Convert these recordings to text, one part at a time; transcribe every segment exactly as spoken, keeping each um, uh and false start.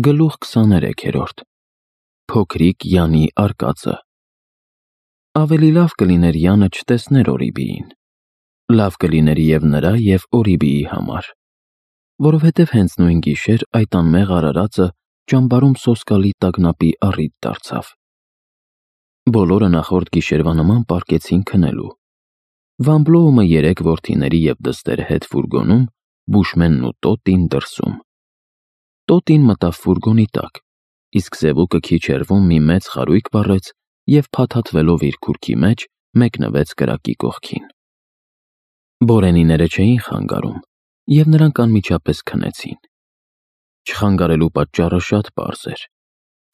Գլուխ քսաներեքերորդ Փոքրիկ Յանի արկածը Ավելի լավ կլիներ Յանը չտեսներ Օրիբիին, լավ կլիներ և նրա և Օրիբիի համար, որովհետև հենց նույն գիշեր այդ անմեղ արարածը ճամբարում սոսկալի տագնապի առիթ դարձավ։ Բոլորը նախորդ գիշերվա նման պառկեցին քնելու։ Վան Բլոումը երեք որդիների և դստեր հետ ֆուրգոնում, Բուշմենն ու Տոտին դրսում։ Տոտին մտավ ֆուրգոնի տակ, իսկ Սևուկը քիչ հեռվում մի մեծ խարույկ վառեց և փաթաթվելով իր քուրքի մեջ մեկնվեց կրակի կողքին։ Բորենիները չէին խանգարում, և նրանք անմիջապես քնեցին։ Չխանգարելու պատճառը շատ պարզ էր։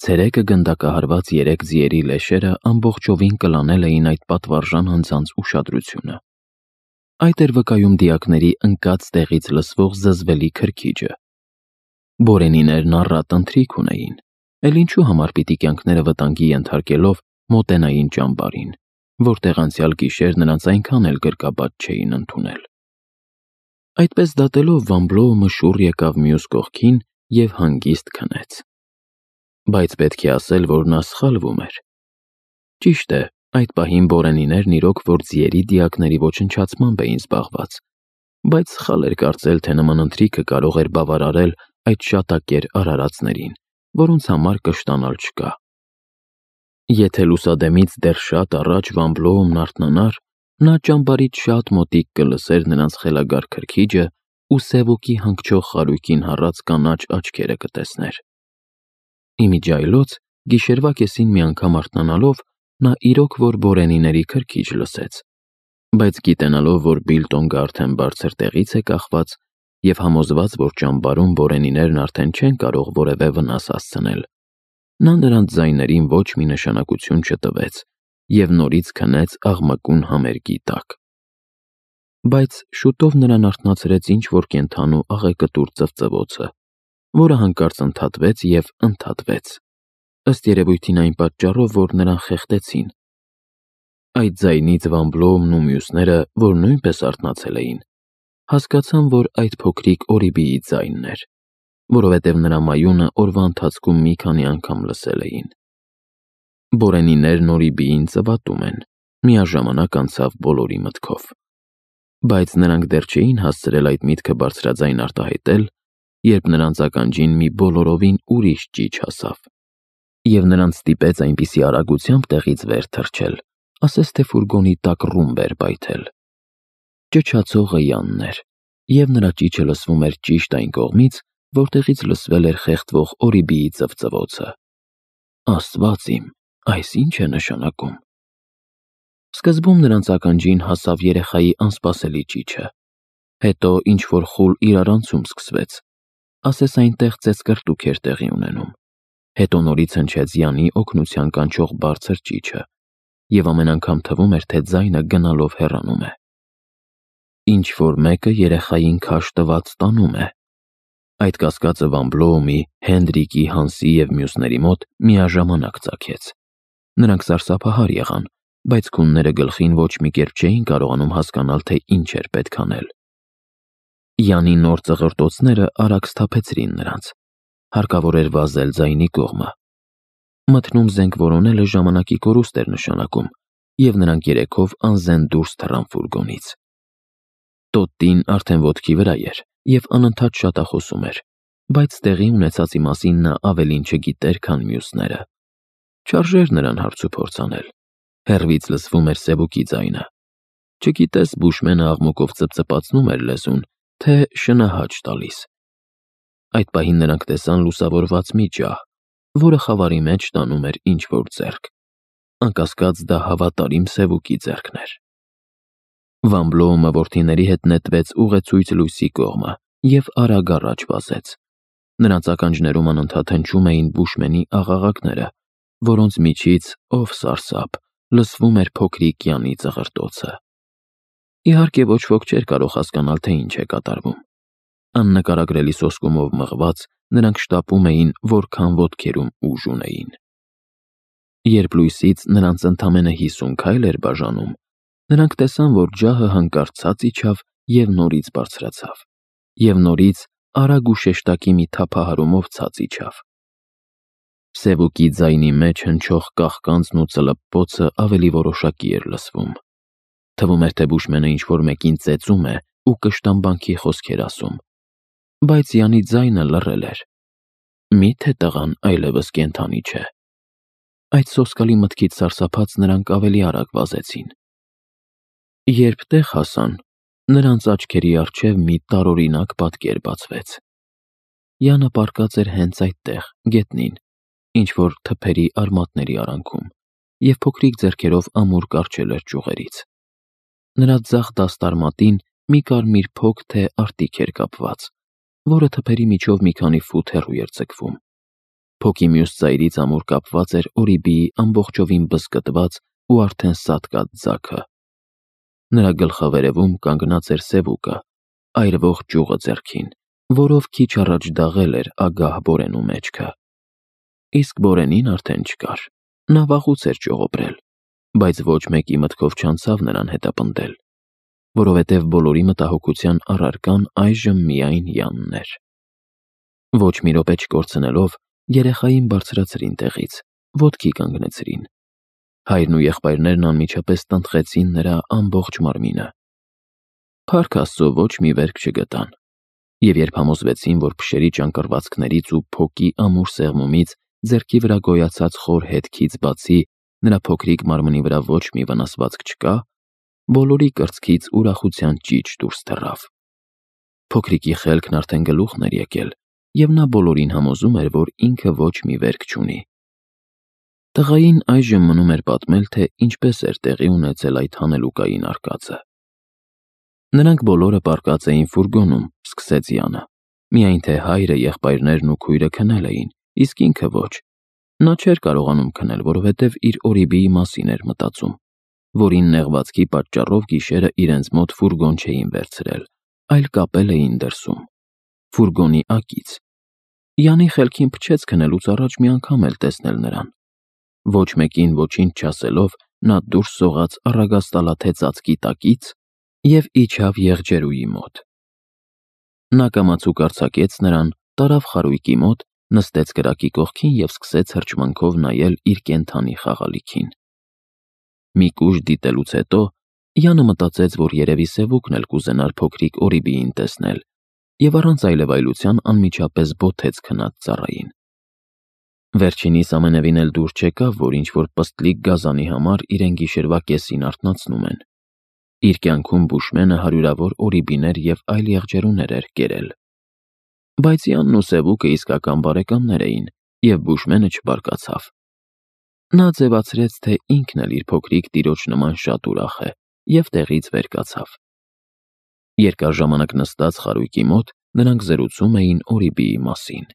Ցերեկը գնդակահարված երեք ձիերի լեշերը ամբողջովին կլանել էին այդ պատվարժան անձանց ուշադրությունը։ Այդ էր վկայում դիակների ընկած տեղից լսվող զզվելի քրքիջը։ Բորենիներն առատ ընթրիք ունեին, էլ ինչու համար պիտի կյանքները վտանգի ենթարկելով մոտենային ճամբարին, որտեղ անցյալ գիշեր նրանց այնքան էլ գրկաբաց չէին ընդունել։ Այդպես դատելով Վան Բլոումը շուռ եկավ մյուս կողքին և հանգիստ քնեց։ Բայց պետք է ասել, որ նա սխալվում էր։ Ճիշտ է, այդ պահին բորենիներն իրոք որ ձիերի դիակների ոչնչացմամբ էին զբաղված, բայց սխալ էր կարծել, թե նման ընթրիքը կարող էր բավարարել այդ շատակեր արարածներին, որոնց համար կշտանալ չկա։ Եթե լուսադեմից դեռ շատ առաջ Վան Բլոումն արթնանար, նա ճամբարից շատ մոտիկ կլսեր նրանց խելագար քրքիջը ու Սևուկի հանգչող խարույկին հառած կանաչ աչքերը կտեսներ։ Իմիջիայլոց, գիշերվա կեսին մի անգամ արթնանալով, նա իրոք որ բորենիների քրքիջ լսեց, բայց գիտենալով, որ Բիլտոնգը արդեն բարձր տեղից է կախված և համոզված, որ ճամբարում բորենիներն արդեն չեն կարող որևէ վնաս հասցնել, նա նրանց ձայներին ոչ մի նշանակություն չտվեց և նորից քնեց աղմկուն համերգի տակ։ Բայց շուտով նրան արթնացրեց ինչ-որ կենդանու աղեկտուր ծվծվոցը, որը հանկարծ ընդհատվեց և ընդհատվեց, ըստ երևույթին այն պատճառով, որ նրան խեղդեցին։ Այդ ձայնից Վան Բլոումն ու մյուսները, որ նույնպես արթնացել էին, հասկացան, որ այդ փոքրիկ Օրիբիի ձայնն էր, որովհետև նրա մայունը օրվա ընթացքում մի քանի անգամ լսել էին։ Բորենիներն Օրիբիին ծվատում են, միաժամանակ անցավ բոլորի մտքով։ Բայց նրանք դեռ չէին հասցրել այդ միտքը բարձրաձայն արտահայտել, երբ նրանց ականջին մի բոլորովին ուրիշ ճիչ հասավ, և նրանց ստիպեց այնպիսի արագությամբ տեղից վեր թռչել, ասես թե ֆուրգոնի տակ ռումբ էր պայթել։ Ճչացողը Յանն էր, և նրա ճիչը լսվում էր ճիշտ այն կողմից, որտեղից լսվել էր խեղդվող Օրիբիի ծվծվոցը։ Աստված իմ, այս ի՞նչ է նշանակում։ Սկզբում նրանց ականջին հասավ երեխայի անսպասելի ճիչը, հետո ինչ-որ խուլ իրարանցում սկսվեց, ասես այնտեղ ծեծկռտուք էր տեղի ունենում, հետո նորից հնչեց Յանի օգնության կանչող բարձր ճիչը, և ամեն անգամ թվում էր, թե ձայնը գնալով հեռանում է։ Ինչ-որ մեկը երեխային քաշ տված տանում է։ Այդ կասկածը Վան Բլոումի, Հենդրիկի, Հանսի և մյուսների մոտ միաժամանակ ծագեց։ Նրանք սարսափահար եղան, բայց քունները գլխին ոչ մի կերպ չէին կարողանում հասկանալ, թե ինչ էր պետք անել։ Յանի նոր ծղրտոցները արագ սթափեցրին նրանց։ Հարկավոր էր վազել ձայնի կողմը։ Մթնում զենք որոնելը ժամանակի կորուստ էր նշանակում, և նրանք երեքով անզեն դուրս թռան ֆուրգոնից։ Տոտին արդեն ոտքի վրա էր և անընդհատ շատախոսում էր, բայց տեղի ունեցածի մասին նա ավելին չգիտեր, քան մյուսները։ Չարժեր նրան հարցուփորձ անել։ Հեռվից լսվում էր Սևուկի ձայնը։ Չգիտես Բուշմենը աղմուկով ծպծպացնում էր լեզուն, թե շնահաճ տալիս։ Այդ պահին նրանք տեսան լուսավորված մի ջահ, որը խավարի մեջ տանում էր ինչ-որ ձեռք։ Անկասկած դա հավատարիմ Սևուկի ձեռքն էր։ Վան Բլոումը որդիների հետ նետվեց ուղեցույց լույսի կողմը և արագ առաջ վազեց։ Նրանց ականջներում անընդհատ հնչում էին Բուշմենի աղաղակները, որոնց միջից, ով սարսափ, լսվում էր փոքրիկ Յանի ծղրտոցը։ Իհարկե ոչ ոք չէր կարող հասկանալ, թե ինչ է կատարվում։ Աննկարագրելի սոսկումով մղված, նրանք շտապում էին, որքան ոտքերում ուժ ունեին։ Երբ լույսից նրանց ընդամենը հիսուն քայլ էր բաժանում, նրանք տեսան, որ ջահը հանկարծ ցած իջավ և նորից բարձրացավ, և նորից արագ ու շեշտակի մի թափահարումով ցած իջավ։ Սևուկի ձայնի մեջ հնչող կաղկանցն ու ծլպպոցը ավելի որոշակի էր լսվում։ Թվում էր, թե Բուշմենը ինչ-որ մեկին ծեծում է ու կշտամբանքի խոսքեր ասում, բայց Յանի ձայնը լռել էր։ Մի՞թե տղան այլևս կենդանի չէ։ Այդ սոսկալի մտքից սարսափած նրանք ավելի արագ վազեցին։ Երբ տեղ հասան, նրանց աչքերի առջև մի տարօրինակ պատկեր բացվեց։ Յանը պառկած էր հենց այդտեղ, գետնին, ինչ-որ թփերի արմատների արանքում, և փոքրիկ ձեռքերով ամուր կառչել էր ճյուղերից։ Նրա ձախ դաստարմատին մի կարմիր փոք թե արտիք էր կապված, որը թփերի միջով մի քանի ֆուտ հեռու էր ձգվում։ Փոքի մյուս ծայրից ամուր կապված էր Օրիբիի ամբողջովին բզկտված ու արդեն սատկած ձագը։ Նրա գլխավերևում կանգնած էր Սևուկը, այրվող ճյուղը ձեռքին, որով քիչ առաջ դաղել էր ագահ Բորենու մեջքը։ Իսկ Բորենին արդեն չկար, նա վաղուց էր ճյուղոբրել, բայց ոչ մեկի մտքով չանցավ նրան հետապնդել, որովհետև բոլորի մտահոգության առարկան այժմ միայն Յանն էր։ Ոչ մի րոպե չկորցնելով, երեխային բարձրացրին տեղից, ոտքի կանգնեցրին։ Հայրն ու եղբայրներն անմիջապես տնտղեցին նրա ամբողջ մարմինը։ Փառք Աստծո, ոչ մի վերք չգտան, և երբ համոզվեցին, որ փշերի ճանկռվածքներից ու փոքի ամուր սեղմումից ձեռքի վրա գոյացած խոր հետքից բացի նրա փոքրիկ մարմնի վրա ոչ մի վնասվածք չկա, բոլորի կրծքից ուրախության ճիչ դուրս թռավ։ Փոքրիկի խելքն արդեն գլուխն էր եկել, և նա բոլորին համոզում էր, որ ինքը ոչ մի վերք չունի։ Տղային այժմ մնում էր պատմել, թե ինչպես էր տեղի ունեցել այդ հանելուկային արկածը։ Նրանք բոլորը պառկած էին ֆուրգոնում, սկսեց Յանը, միայն թե հայրը, եղբայրներն ու քույրը քնել էին, իսկ ինքը ոչ։ Նա չէր կարողանում քնել, որովհետև իր Օրիբիի մասին էր մտածում, որին նեղվածքի պատճառով գիշերը իրենց մոտ ֆուրգոն չէին վերցրել, այլ կապել էին դրսում, ֆուրգոնի ակից։ Յանի խելքին փչեց քնելուց առաջ մի անգամ էլ տեսնել նրան։ Ոչ մեկին ոչինչ չասելով, նա դուրս սողաց առագաստալաթե ծածկի տակից և իջավ եղջերուի մոտ։ Նա կամացուկ արձակեց նրան, տարավ խարույկի մոտ, նստեց կրակի կողքին և սկսեց հրճմունքով նայել իր կենդանի խաղալիքին։ Մի կուժ դիտելուց հետո Յանը մտածեց, որ երևի Սևուկն էլ կուզենար փոքրիկ Օրիբիին տեսնել, և առանց այլևայլության անմիջապես բոթեց քնած ծառային։ Վերջինիս ամենևին էլ դուր չեկավ, որ ինչ-որ պստլիկ գազանի համար իրեն գիշերվա կեսին արթնացնում են։ Իր կյանքում Բուշմենը հարյուրավոր Օրիբիներ և այլ եղջերուներ էր կերել։ Բայց Յանն ու Սևուկը իսկական բարեկամներ էին, և Բուշմենը չբարկացավ։ Նա ձևացրեց, թե ինքն էլ իր փոքրիկ տիրոջ նման շատ ուրախ է, և տեղից վեր կացավ։ Երկար ժամանակ նստած խարույկի մոտ նրանք զրուցում էին Օրիբիի մասին։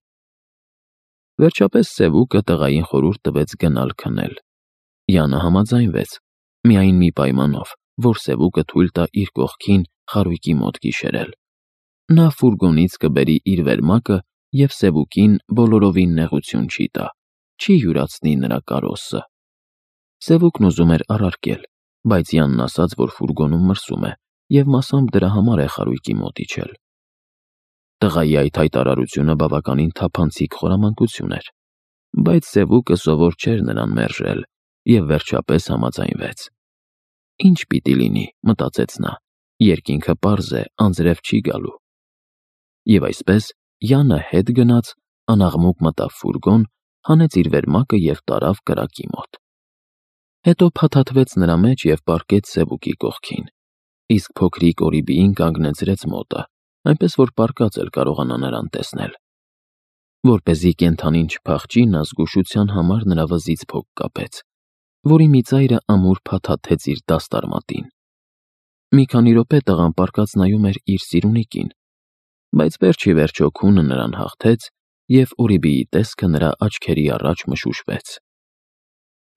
Վերջապես Սևուկը տղային խորհուրդ տվեց գնալ քնել։ Յանը համաձայնվեց, միայն մի պայմանով, որ Սևուկը թույլ տա իր կողքին խարույկի մոտ գիշերել։ Նա ֆուրգոնից կբերի իր վերմակը և Սևուկին բոլորովին նեղություն չի տա, չի յուրացնի նրա կարոսը։ Սևուկն ուզում էր առարկել, բայց Յանն ասաց, որ ֆուրգոնում մրսում է, և մասամբ դրա համար է խարույկի մոտ իջել։ Տղայի այդ հայտարարությունը բավականին թափանցիկ խորամանկություն էր, բայց Սևուկը սովոր չէր նրան մերժել և վերջապես համաձայնվեց։ Ինչ պիտի լինի, մտածեց նա, երկինքը պարզ է, անձրև չի գալու։ Եվ այսպես Յանը հետ գնաց, անաղմուկ մտավ ֆուրգոն, հանեց իր վերմակը և տարավ կրակի մոտ։ Հետո փաթաթվեց նրա մեջ և պառկեց Սևուկի կողքին, իսկ փոքրիկ Օրիբիին կանգնեցրեց մոտը, այնպես որ պառկած էլ կարողանա նրան տեսնել։ Որպեսզի կենդանին չփախչի, նա զգուշության համար նրա վզից փոք կապեց, որի մի ծայրը ամուր փաթաթեց իր դաստարմատին։ Մի քանի րոպե տղան պառկած նայում էր իր սիրունիկին, բայց վերջ ի վերջո քունը նրան հաղթեց, և Օրիբիի տեսքը նրա աչքերի առաջ մշուշվեց։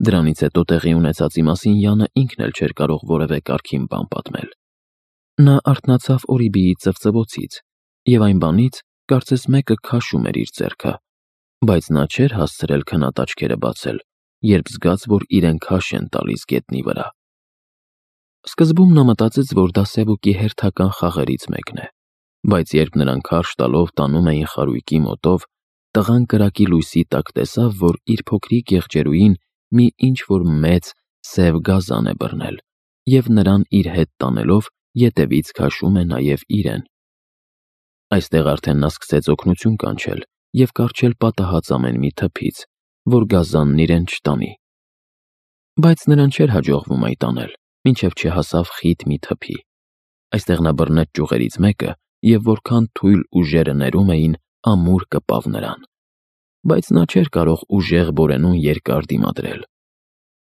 Դրանից հետո տեղի ունեցածի մասին Յանը ինքն էլ չէր կարող որևէ կարգին բան պատմել։ Նա արթնացավ Օրիբիի ծվծվոցից և այն բանից, կարծես մեկը քաշում էր իր ձեռքը, բայց նա չէր հասցրել քնած աչքերը բացել, երբ զգաց, որ իրեն քաշ են տալիս գետնի վրա։ Սկզբում նա մտածեց, որ դա Սևուկի հերթական խաղերից մեկն է, բայց երբ նրան քարշ տալով տանում էին խարույկի մոտով, տղան կրակի լույսի տակ տեսավ, որ իր փոքրիկ եղջերուին մի ինչ-որ մեծ սև գազան է բռնել և նրան իր հետ տանելով ետևից քաշում է նաև իրեն։ Այստեղ արդեն նա սկսեց օգնություն կանչել և կառչել պատահած ամեն մի թփից, որ գազանն իրեն չտանի։ Բայց նրան չէր հաջողվում այդ անել, մինչև չհասավ խիտ մի թփի։ Այստեղ նա բռնեց ճյուղերից մեկը և որքան թույլ ուժերը ներում էին, ամուր կպավ նրան։ Բայց նա չէր կարող ուժեղ բորենուն երկար դիմադրել։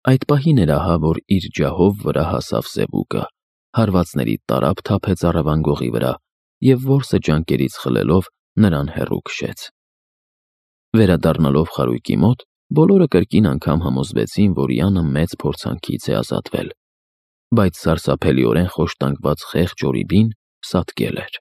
Այդ պահին էր ահա, որ իր ջահով վրա հասավ սևուկը, հարվածների տարափ թափեց առևան գողի վրա և որսը ջանքերից խլելով նրան հեռու քշեց։ Վերադառնալով խարույկի մոտ, բոլորը կրկին անգամ համոզվեցին, որ Յանը մեծ փորձանքից է ազատվել, բայց սարսափելիորեն խոշտանգված խեղճ Օրիբին սատկել էր։